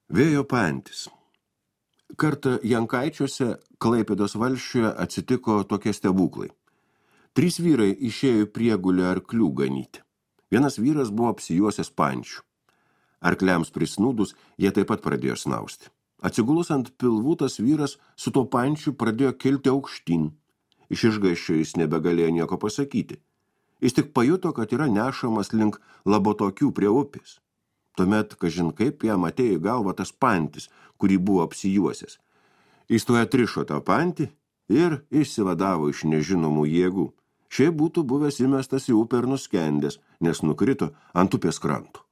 Vėjo pantis. Kartą Jankaičiuose, Klaipėdos valsčiuje atsitiko tokie stebuklai. 3 vyrai išėjo į priegulę arklių ganyti. Vienas vyras buvo apsijuosęs pančių. Arkliams prisnūdus, jie taip pat pradėjo snausti. Atsigulus ant pilvų, tas vyras su tuo pančiu pradėjo kilti aukštyn. Iš išgąsčio jis nebegalėjo nieko pasakyti. Jis tik pajuto, kad yra nešamas link Labotokių prie upės. Tuomet, kažin kaip jam atėjo į galvą tas pantis, kurį buvo apsijuosęs. Jis tuo atrišo tą pantį ir išsivadavo iš nežinomų jėgų. Šiaip būtų buvęs įmestas į upę ir nuskendęs, nes nukrito ant upės kranto.